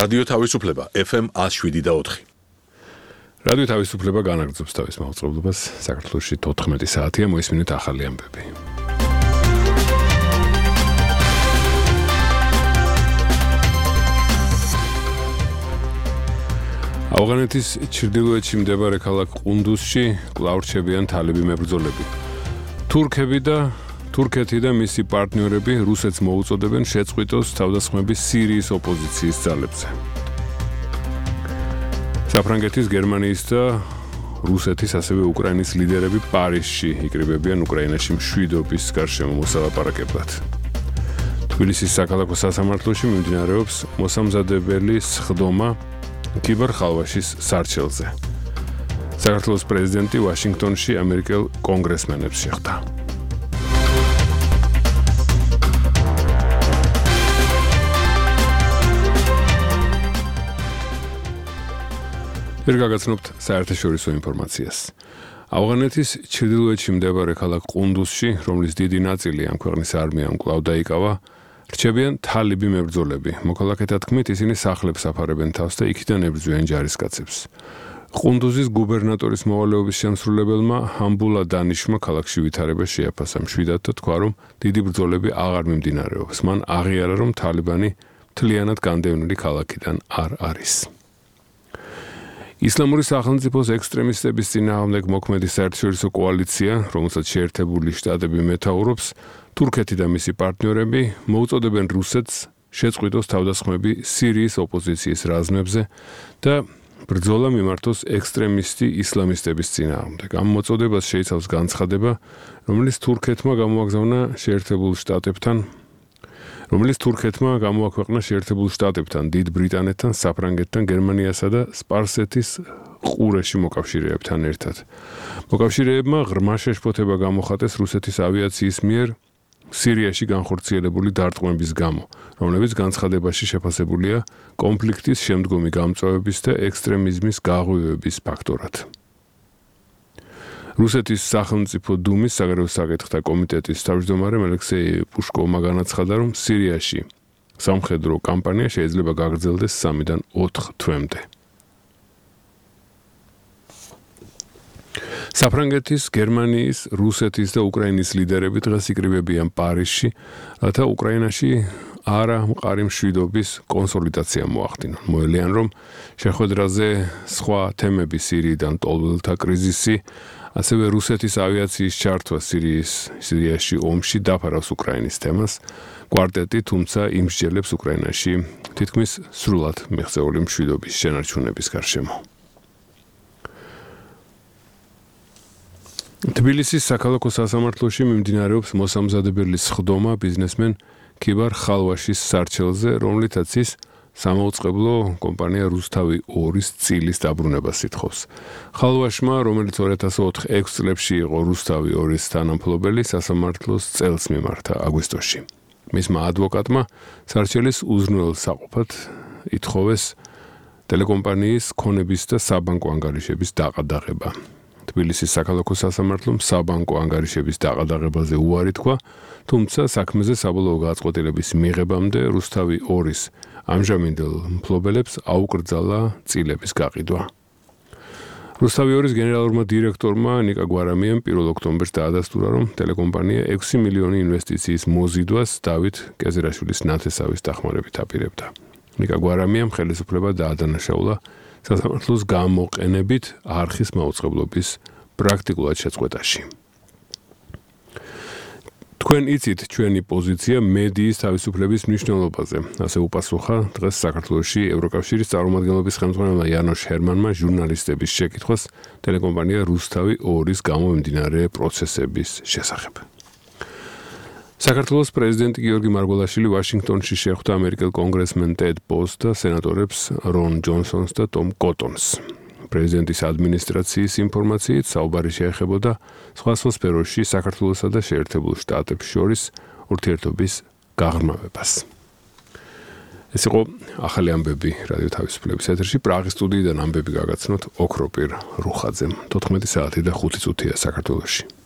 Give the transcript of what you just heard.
რადიო თავისუფლება FM 107.4. რადიო თავისუფლება განაგრძობს თავის მაუწყებლობას. საქართველოში 14 საათია, მოისმინეთ ახალი ამბები. ავღანეთის ჩრდილოეთში მდებარე ქალაქ ყუნდუსში კვლავ რჩებიან თალიბი მებრძოლები. თურქეთი და მისი პარტნიორები რუსეთს მოუწოდებენ შეწყვიტოს თავდასხმების სირიის ოპოზიციის ძალებზე. საფრანგეთის, გერმანიის და რუსეთის, ასევე უკრაინის ლიდერები პარიზში იკრიბებიან უკრაინაში მშვიდობის გარშემო მოსალაპარაკებლად. თბილისის საქალაქო სასამართლოში მიმდინარეობს მოსამზადებელი სხდომა კიბერხალვაშის სარჩელზე. საქართველოს პრეზიდენტი ვაშინგტონში ამერიკელ კონგრესმენებს შეხვდა. გაგაცნობთ საერთაშორისო ინფორმაციას. ავღანეთის ჩრდილოეთში მდებარე ქალაქ ყუნდუსში, რომლის დიდი ნაწილი ამ ქვეყნის არმიამ კვლავ დაიკავა, რჩებიან თალიბი მებრძოლები. მოქალაქეთა თქმით, ისინი სახლებს აფარებენ თავს და იქიდან ებრძვიან ჯარისკაცებს. ყუნდუზის გუბერნატორის მოვალეობის შემსრულებელმა ჰამბულა დანიშმა ქალაქში ვითარება შეაფასა. მშვიდად და თქვა, რომ დიდი ბრძოლები აღარ მიმდინარეობს. მან აღიარა, რომ თალიბანი მთლიანად განდევნილი ქალაქიდან არ არის. ისლამური სახელმწიფოს ექსტრემისტების წინააღმდეგ მოქმედი საერთაშორისო კოალიცია, რომელსაც შეერთებული შტატები მეთაურობს, თურქეთი და მისი პარტნიორები მოუწოდებენ რუსეთს შეწყვიტოს თავდასხმები სირიის ოპოზიციის რაზმებზე და ბრძოლა მიმართოს ექსტრემისტი ისლამისტების წინააღმდეგ. ამ მოწოდებას შეიცავს განცხადება, რომელიც თურქეთმა გამოაქვეყნა შეერთებულ შტატებთან, დიდ ბრიტანეთთან, საფრანგეთთან, გერმანიასა და სპარსეთის ყურეში მოკავშირეებთან ერთად. მოკავშირეებმა ღრმა შეშფოთება გამოხატეს რუსეთის ავიაციის მიერ სირიაში განხორციელებული დარტყმების გამო, რომლებიც განცხადებაში შეფასებულია კონფლიქტის შემდგომი გამწვავების და ექსტრემიზმის გაღვივების ფაქტორად. რუსეთის სახელმწიფო დუმის საგარეო საკითხთა კომიტეტის თავმჯდომარე ალექსეი პუშკოვმა განაცხადა, რომ სირიაში სამხედრო კამპანია შეიძლება გაგრძელდეს 3-დან 4 თვემდე. საფრანგეთის, გერმანიის, რუსეთის და უკრაინის ლიდერები დღეს იკრიბებიან პარიზში, რათა უკრაინაში არამყარი მშვიდობის კონსოლიდაცია მოახდინონ. მოელიან, რომ შეხვედრაზე სხვა თემები სირიიდან ტოლველთა კრიზისი, ასევე რუსეთის ავიაციის ჩართვა სირიაში ომში დაფარავს უკრაინის თემას. კვარტეტი თუმცა იმსჯელებს უკრაინაში თითქმის სრულად მიღწეული მშვიდობის შენარჩუნების გარშემო. თბილისის საქალაქო სასამართლოში მიმდინარეობს მოსამზადებელი სხდომა ბიზნესმენ ქიბარ ხალვაშის სარჩელზე, რომლითაც ის სამაუწყებლო კომპანია რუსთავი 2-ის წილის დაბრუნებას ითხოვს. ხალვაშმა, რომელიც 2004 წლებში იყო რუსთავი 2-ის თანამფლობელი, სასამართლოს წელს მიმართა აგვისტოში. მისმა ადვოკატმა სარჩელის უზრუნველ საყოფად ითხოვეს ტელეკომპანიის ქონების და საბანკო ანგარიშების დაყადაღება. თბილისის საქალაქო სასამართლომ საბანკო ანგარიშების დაყადაღებაზე უარი თქვა, თუმცა საქმეზე საბოლოო გადაწყვეტილების მიღებამდე რუსთავი 2-ის ამჟამინდელ მფლობელებს აუკრძალა წილების გაყიდვა. რუსთავი 2-ის გენერალურმა დირექტორმა ნიკა გვარამიამ 1 ოქტომბერს დაადასტურა, რომ ტელეკომპანია 6 მილიონი ინვესტიციის მოზიდვას დავით კეზერაშვილის ნათესავის დახმარებით აპირებდა. ნიკა გვარამიამ ხელისუფლება დაადანაშაულა სასამართლოს გამოყენებით არხის მაუწყებლობის პრაქტიკულად შეწყვეტაში. თქვენ იცით ჩვენი პოზიცია მედიის თავისუფლების მნიშვნელობაზე, ასე უპასუხა დღეს საქართველოში ევროკავშირის წარმომადგენლობის ხელმძღვანელმა იანოშ ჰერმანმა ჟურნალისტების შეკითხვას ტელეკომპანია რუსთავი 2-ის გამომდინარე პროცესების შესახებ. საქართველოს პრეზიდენტი გიორგი მარგველაშვილი ვაშინგტონში შეხვდა ამერიკელ კონგრესმენ ტედ პოს და სენატორებს რონ ჯონსონს და ტომ კოტონს. პრეზიდენტის ადმინისტრაციის ინფორმაციით საუბარი შეეხებოდა სხვა სფეროში საქართველოსა და შეერთებულ შტატებს შორის ურთიერთობის გაღრმავებას. ეს იყო ახალი ამბები რადიო თავისუფლების ეთერში. პრაღის სტუდიიდან ამბები გაგაცნოთ ოქროპირ რუხაძემ. 14 საათი და 5 წუთია საქართველოში.